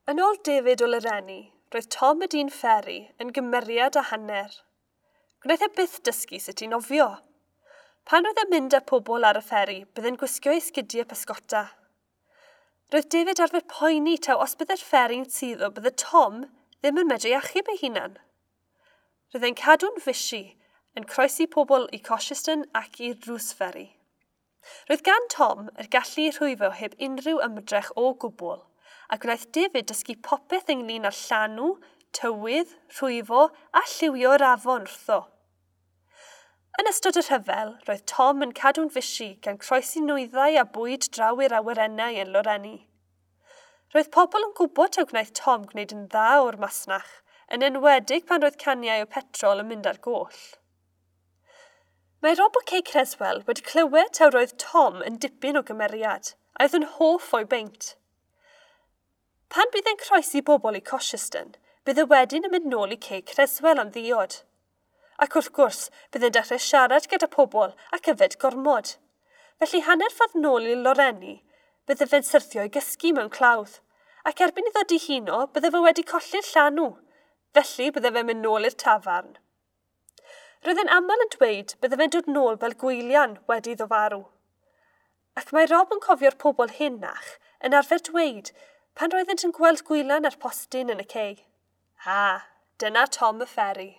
Yn ôl David o Loreni, roedd Tom y dyn fferi yn gymeriad a hanner. Gwnaeth e byth dysgu sut i nofio. Pan roedd e'n mynd â pobl ar y fferi, byddai'n gwisgo ei sgidiau pysgota. Roedd David arfer poeni taw os byddai'r fferi'n suddo bydde Tom ddim yn medru achub ei hunan. Roedd e'n cadw'n fishi, yn croesi pobl i Cosheston ac i'r Drws Ferry. Roedd gan Tom yr gallu i rhwyfo heb unrhyw ymdrech o gwbl, a gwnaeth David dysgu popeth ynglyn â llanw, tywydd, rhwyfo a lliwio'r afon wrtho. Yn ystod y rhyfel, roedd Tom yn cadw'n fishi gan croesi nwyddau a bwyd draw i'r awyrennau yn Loreni. Roedd pobl yn gwybod taw gwnaeth Tom gwneud yn dda o'r masnach, yn enwedig pan roedd caniau o petrol yn mynd ar goll. Mae Rob o Cei Creswell wedi clywed taw roedd Tom yn dipyn o gymeriad, a oedd yn hoff o'i beint. Pan bydd e'n croesi bobl i Cosheston, bydd e wedyn yn mynd nôl i Cei Creswell am ddiod. Ac wrth gwrs, bydd e'n dechrau siarad gyda pobl ac yfed gormod. Felly hanner ffordd nôl i Loreni, bydde fe'n syrthio i gysgu mewn clawdd. Ac erbyn iddo dihuno, bydde fe wedi colli'r llanw. Felly bydde fe'n mynd nôl i'r tafarn. Roedd e'n aml yn dweud bydde fe'n dod nôl fel gwylian wedi iddo farw. Ac mae Rob yn cofio'r pobl hynach yn arfer dweud pan roeddent yn gweld gwylan ar postyn yn y cei. A, dyna Tom y Ferry.